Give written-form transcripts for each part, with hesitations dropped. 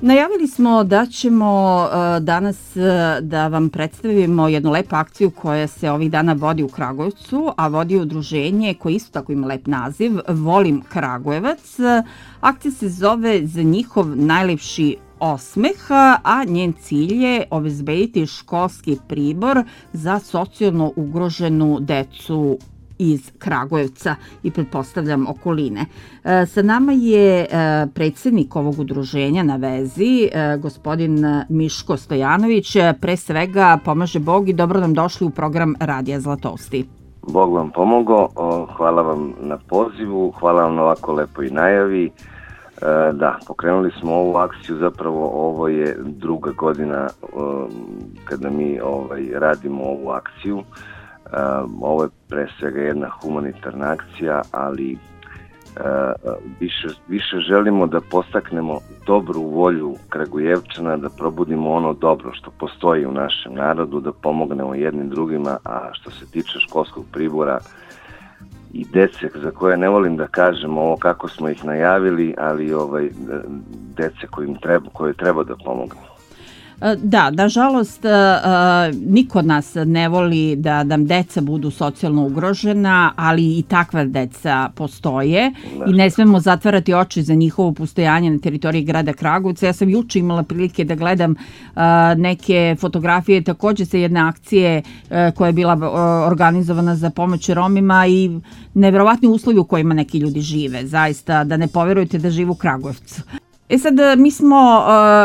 Najavili smo da ćemo danas da vam predstavimo jednu lepu akciju koja se ovih dana vodi u Kragujevcu, a vodi udruženje koje isto tako ima lep naziv, Volim Kragujevac. Akcija se zove Za njihov najlepši osmeh, a njen cilj je obezbediti školski pribor za socijalno ugroženu decu iz Kragujevca i pretpostavljam okoline. Sa nama je predsjednik ovog udruženja na vezi, gospodin Miško Stojanović. Pre svega pomaže Bog i dobro nam došli u program Radija Zlatousti. Bog vam pomogao, hvala vam na pozivu, hvala vam na ovako lepoj najavi. Da, pokrenuli smo ovu akciju, zapravo ovo je druga godina kada mi radimo ovu akciju. Ovo je pre svega jedna humanitarna akcija, ali više želimo da postaknemo dobru volju Kragujevčana, da probudimo ono dobro što postoji u našem narodu, da pomognemo jednim drugima, a što se tiče školskog pribora i dece za koje ne volim da kažem ovo kako smo ih najavili, ali dece koje treba da pomognemo. Da, nažalost, niko od nas ne voli da nam deca budu socijalno ugrožena, ali i takva deca postoje i ne smemo zatvarati oči za njihovo postojanje na teritoriji grada Kragujevca. Ja sam juče imala prilike da gledam neke fotografije takođe sa jedne akcije koja je bila organizovana za pomoć Romima i neverovatni uslovi u kojima neki ljudi žive. Zaista, da ne poverujete da žive u Kragujevcu. Sad, mi smo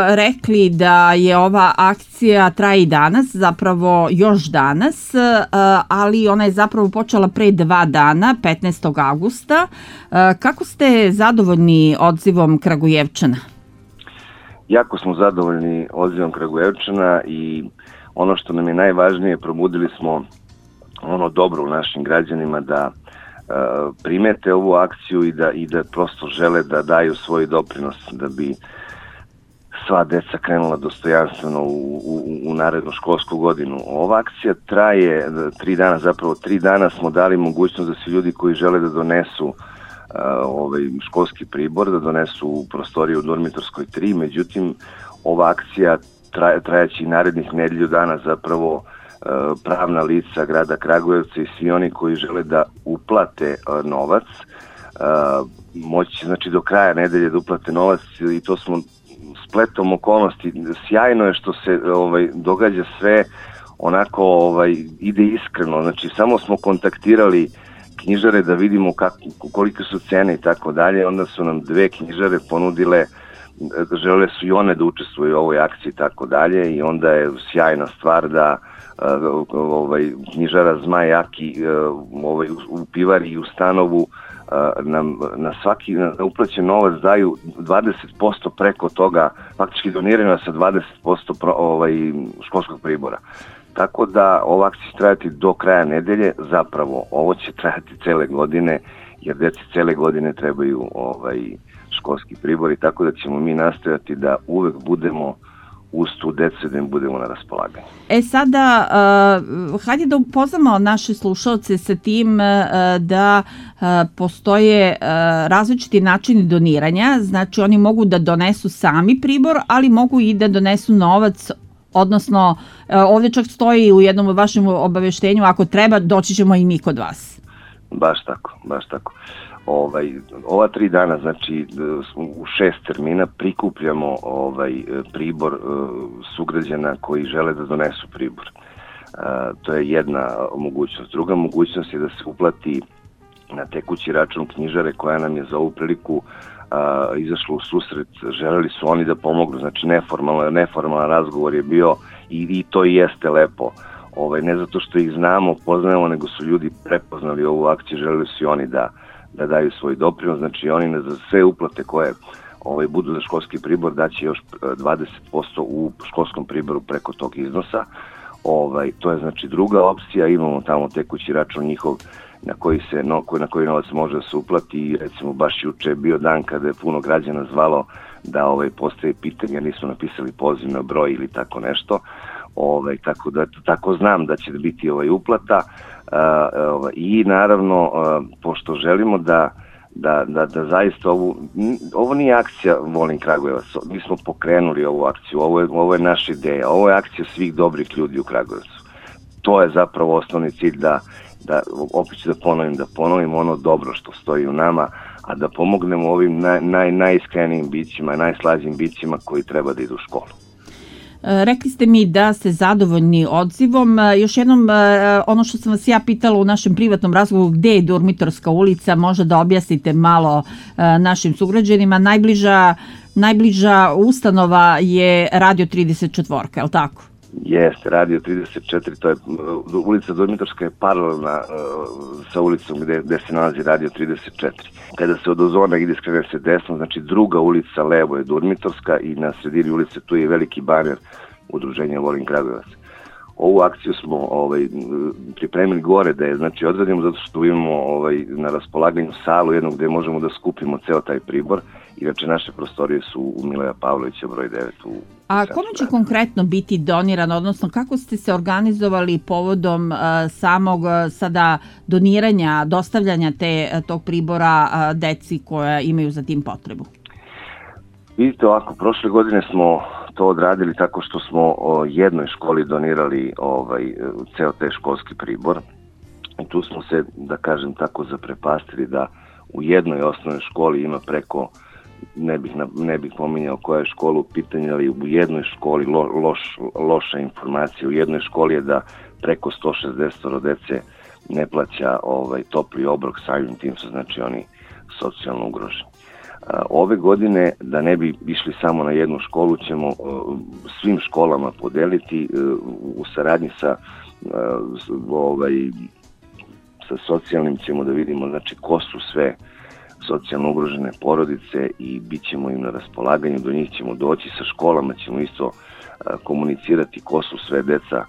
rekli da je ova akcija traje i danas, zapravo još danas, ali ona je zapravo počela pre 2 dana, 15. avgusta. Kako ste zadovoljni odzivom Kragujevčana? Jako smo zadovoljni odzivom Kragujevčana i ono što nam je najvažnije, probudili smo ono dobro u našim građanima da primete ovu akciju i da prosto žele da daju svoj doprinos da bi sva deca krenula dostojanstveno u narednu školsku godinu. Ova akcija traje 3 dana, zapravo 3 dana smo dali mogućnost da svi ljudi koji žele da donesu školski pribor, da donesu u prostoriju u Dormitorskoj 3, međutim ova akcija trajaće i narednih nedelju dana, zapravo pravna lica grada Kragujevca i svi oni koji žele da uplate novac moći znači do kraja nedelje da uplate novac i to smo spletom okolnosti. Sjajno je što se događa sve onako ide iskreno, znači samo smo kontaktirali knjižare da vidimo kolike su cene i tako dalje, onda su nam 2 knjižare ponudile, žele su i one da učestvuju u ovoj akciji i tako dalje i onda je sjajna stvar da knjižara Zmaj Jaki u pivari i u stanovu nam na svaki uplaćen novac daju 20% preko toga, faktički doniraju sa 20% školskog pribora. Tako da ova akcija će trajati do kraja nedelje, zapravo ovo će trajati cele godine, jer deci cele godine trebaju školski pribor i tako da ćemo mi nastojati da uvek budemo uz tu decu da im budemo na raspolaganju. Sada, hajde da upoznamo naše slušalce sa tim da postoje različiti načini doniranja, znači oni mogu da donesu sami pribor, ali mogu i da donesu novac, odnosno ovdje čak stoji u jednom vašem obaveštenju, ako treba doći ćemo i mi kod vas. Baš tako. Ova 3 dana, znači u 6 termina prikupljamo pribor sugrađana koji žele da donesu pribor. To je jedna mogućnost. Druga mogućnost je da se uplati na tekući račun knjižare koja nam je za ovu priliku izašla u susret. Želeli su oni da pomognu, znači neformalan razgovor je bio i to i jeste lepo. Ne zato što ih znamo, poznajemo, nego su ljudi prepoznali ovu akciju, želeli su i oni da daju svoj doprinos, znači oni za sve uplate koje budu za školski pribor daće još 20% u školskom priboru preko tog iznosa. To je znači druga opcija, imamo tamo tekući račun njihov na koji novac može da se uplati i recimo baš juče je bio dan kada je puno građana zvalo da postoje pitanja, nismo napisali poziv na broj ili tako nešto. Tako znam da će biti uplata i naravno pošto želimo da da zaista ovo nije akcija Volim Kragujevac, mi smo pokrenuli ovu akciju, ovo je naša ideja, ovo je akcija svih dobrih ljudi u Kragujevcu. To je zapravo osnovni cilj da opet ću da ponovim ono dobro što stoji u nama, a da pomognemo ovim najiskrenijim bićima, najslađim bićima koji treba da idu u školu. Rekli ste mi da ste zadovoljni odzivom. Još jednom, ono što sam vas ja pitala u našem privatnom razgovoru, gde je Durmitorska ulica, možda da objasnite malo našim sugrađanima. Najbliža ustanova je Radio 34, je li tako? Jeste, Radio 34, to je ulica Durmitorska je paralelna sa ulicom gde se nalazi Radio 34. Kada se od Ozona ide, skrene se desno, znači druga ulica levo je Durmitorska i na sredini ulice tu je veliki baner udruženja Volim Kragujevac. Ovu akciju smo pripremili gore da je znači odradimo zato što imamo na raspolaganju salu jednog gde možemo da skupimo ceo taj pribor. Inače, naše prostorije su u Miloja Pavlovića broj 9 u A kome će konkretno biti doniran, odnosno kako ste se organizovali povodom samog sada doniranja, dostavljanja tog pribora deci koja imaju za tim potrebu? Vidite ovako, prošle godine smo to odradili tako što smo jednoj školi donirali ceo taj školski pribor. I tu smo se, da kažem tako, zaprepastili da u jednoj osnovnoj školi ima preko, ne bih pominjao koja je škola u pitanju, ali u jednoj školi loša informacija. U jednoj školi je da preko 160 dece ne plaća topli obrok, samim tim su znači oni socijalno ugroženi. Ove godine, da ne bi išli samo na jednu školu, ćemo svim školama podeliti u saradnji sa socijalnim, ćemo da vidimo znači ko su sve socijalno ugrožene porodice i bit ćemo im na raspolaganju, do njih ćemo doći, sa školama ćemo isto komunicirati ko su sve deca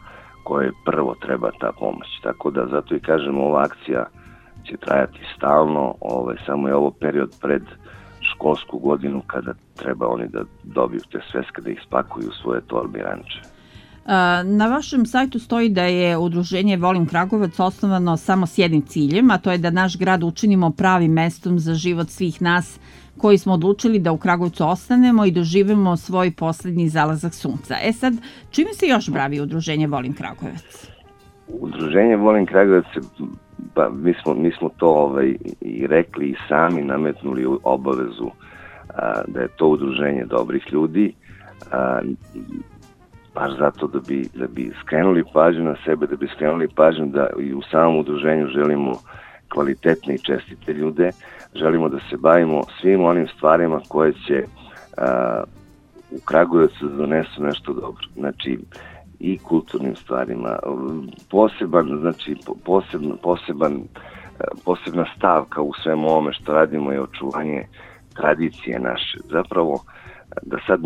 koje prvo treba ta pomoć. Tako da zato i kažemo, ova akcija će trajati stalno, samo je ovo period pred školsku godinu kada treba oni da dobiju te sveske, da ih spakuju u svoje torbe i ranče. Na vašem sajtu stoji da je udruženje Volim Kragujevac osnovano samo s jednim ciljem, a to je da naš grad učinimo pravim mestom za život svih nas koji smo odlučili da u Kragujevcu ostanemo i doživimo svoj poslednji zalazak sunca. Sad, čime se još bavi udruženje Volim Kragujevac? Udruženje Volim Kragujevac, mi smo to i rekli i sami nametnuli obavezu da je to udruženje dobrih ljudi, baš zato da bi skrenuli pažnju na sebe, da bi skrenuli pažnju da i u samom udruženju želimo kvalitetne i čestite ljude, želimo da se bavimo svim onim stvarima koje će u Kragujevcu donesu nešto dobro. Znači, i kulturnim stvarima. Posebna stavka u svemu ovome što radimo je očuvanje tradicije naše. Zapravo, da sad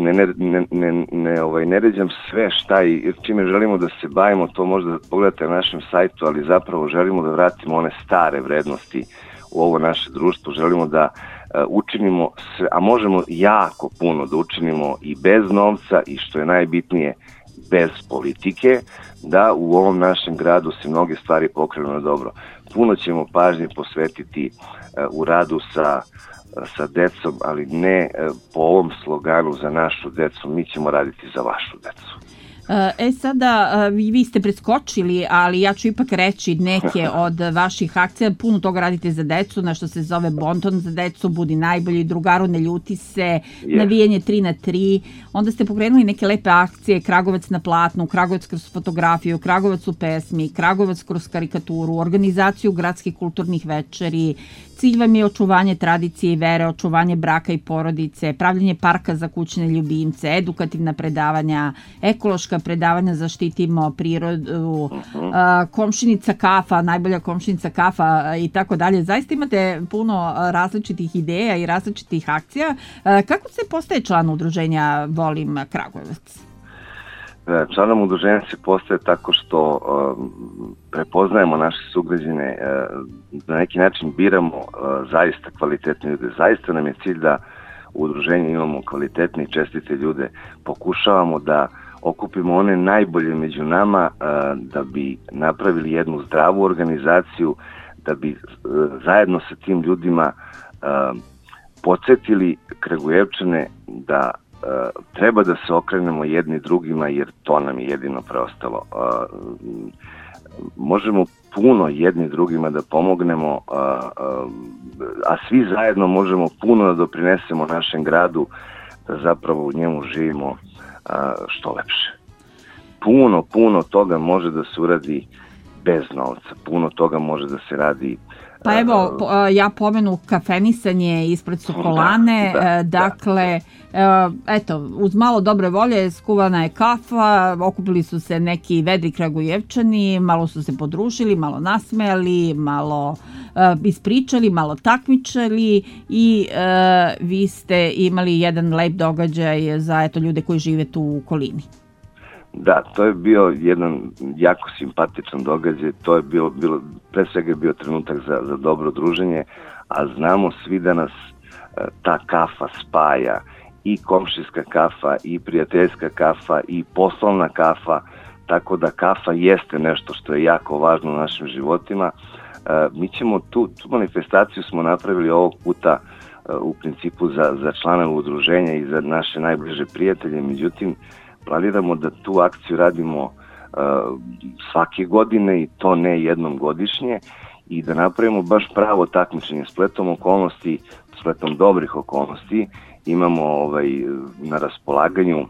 ne ređam sve šta i čime želimo da se bavimo, to možda pogledate na našem sajtu, ali zapravo želimo da vratimo one stare vrednosti u ovo naše društvo, želimo da učinimo sve, a možemo jako puno da učinimo i bez novca i što je najbitnije, bez politike, da u ovom našem gradu se mnoge stvari pokrenu na dobro. Puno ćemo pažnje posvetiti u radu sa decom, ali ne po ovom sloganu za našu decu, mi ćemo raditi za vašu decu. Sada, vi ste preskočili, ali ja ću ipak reći neke od vaših akcija. Puno toga radite za decu, nešto se zove Bonton za decu, Budi najbolji, Drugaru ne ljuti se, navijanje 3x3. Onda ste pokrenuli neke lepe akcije, Kragujevac na platnu, Kragujevac kroz fotografiju, Kragujevac u pesmi, Kragujevac kroz karikaturu, organizaciju gradskih kulturnih večeri. Cilj vam je očuvanje tradicije i vere, očuvanje braka i porodice, pravljenje parka za kućne ljubimce, edukativna predavanja, ekološka predavanja, zaštitimo prirodu, komšinica kafa, najbolja komšinica kafa i tako dalje. Zaista imate puno različitih ideja i različitih akcija. Kako se postaje član udruženja Volim Kragujevac? Članom udruženja se postaje tako što prepoznajemo naše sugrađane, na neki način biramo zaista kvalitetne ljude. Zaista nam je cilj da u udruženju imamo kvalitetne i čestite ljude. Pokušavamo da okupimo one najbolje među nama, da bi napravili jednu zdravu organizaciju, da bi zajedno sa tim ljudima podsjetili Kragujevčane da treba da se okrenemo jedni drugima, jer to nam je jedino preostalo. Možemo puno jedni drugima da pomognemo, a svi zajedno možemo puno da doprinesemo našem gradu, da zapravo u njemu živimo što lepše. Puno toga može da se uradi bez novca, puno toga može da se radi. Pa evo, ja pomenu kafenisanje ispred Sokolane, dakle, eto, uz malo dobre volje skuvana je kafa, okupili su se neki vedri Kragujevčani, malo su se podružili, malo nasmejali, malo ispričali, malo takmičali i vi ste imali jedan lep događaj za eto, ljude koji žive tu u okolini. Da, to je bio jedan jako simpatičan događaj, to je bilo pre svega je bio trenutak za dobro druženje, a znamo svi da nas ta kafa spaja, i komšijska kafa, i prijateljska kafa, i poslovna kafa, tako da kafa jeste nešto što je jako važno u našim životima. Mi ćemo tu manifestaciju smo napravili ovog puta u principu za članove udruženja i za naše najbliže prijatelje, međutim, planiramo da tu akciju radimo svake godine i to ne jednom godišnje i da napravimo baš pravo takmičenje spletom dobrih okolnosti. Imamo na raspolaganju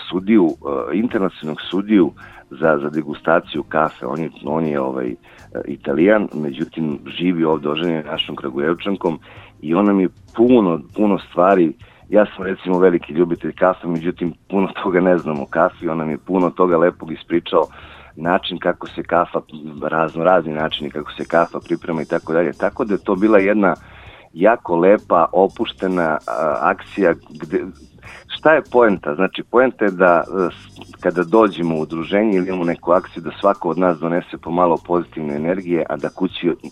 sudiju, internacionalnog sudiju za degustaciju kafe. On je Italijan, međutim živi ovdje oženjen našom Kragujevčankom i on nam je puno stvari. Ja sam recimo veliki ljubitelj kafe, međutim puno toga ne znam o kafi, on nam je puno toga lepog ispričao, način kako se kafa, razni načini kako se kafa priprema i tako dalje. Tako da je to bila jedna jako lepa, opuštena akcija. Šta je poenta? Znači poenta je da kada dođemo u udruženje ili imamo neku akciju da svako od nas donese pomalo pozitivne energije, a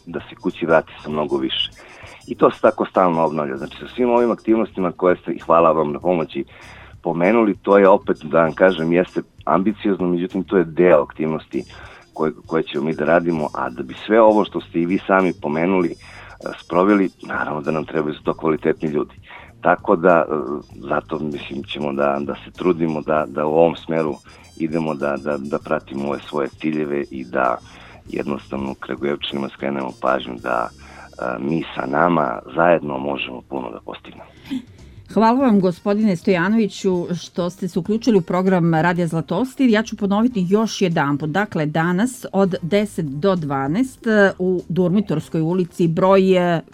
da se kući vrati sa mnogo više. I to se tako stalno obnavlja. Znači sa svim ovim aktivnostima koje ste, i hvala vam na pomoći, pomenuli, to je opet, da vam kažem, jeste ambiciozno, međutim to je deo aktivnosti koje ćemo mi da radimo, a da bi sve ovo što ste i vi sami pomenuli sproveli, naravno da nam trebaju za to kvalitetni ljudi. Tako da, zato mislim ćemo da se trudimo da u ovom smeru idemo da pratimo ove svoje ciljeve i da jednostavno Kragujevčanima skrenemo pažnju da mi sa nama zajedno možemo puno da postignemo. Hvala vam, gospodine Stojanoviću, što ste se uključili u program Radija Zlatostir. Ja ću ponoviti još jedanput. Dakle, danas od 10 do 12 u Durmitorskoj ulici broj,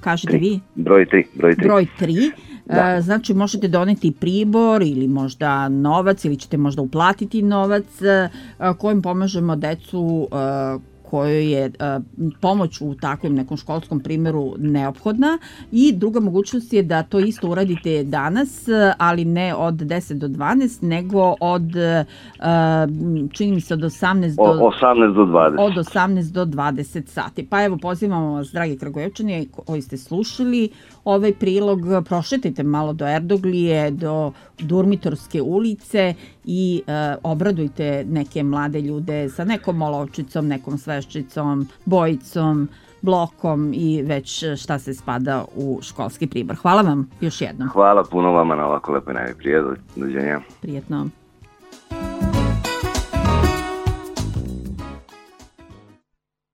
kažete vi? Broj 3. Broj 3. Da. Znači, možete doneti pribor ili možda novac ili ćete možda uplatiti novac kojim pomažemo decu kojoj je pomoć u takvom nekom školskom primjeru neophodna i druga mogućnost je da to isto uradite danas, ali ne od 10 do 12, nego od čini mi se od 18 do 20. Od 18 do 20 sati. Pa evo, pozivamo vas, dragi Kragujevčani koji ste slušali ovaj prilog, prošetajte malo do Erdoglije, do Durmitorske ulice i obradujte neke mlade ljude sa nekom olovčicom, nekom sveščicom, bojicom, blokom i već šta se spada u školski pribor. Hvala vam još jednom. Hvala puno vama na ovako lepoj najavi. Prijetno. Prijetno.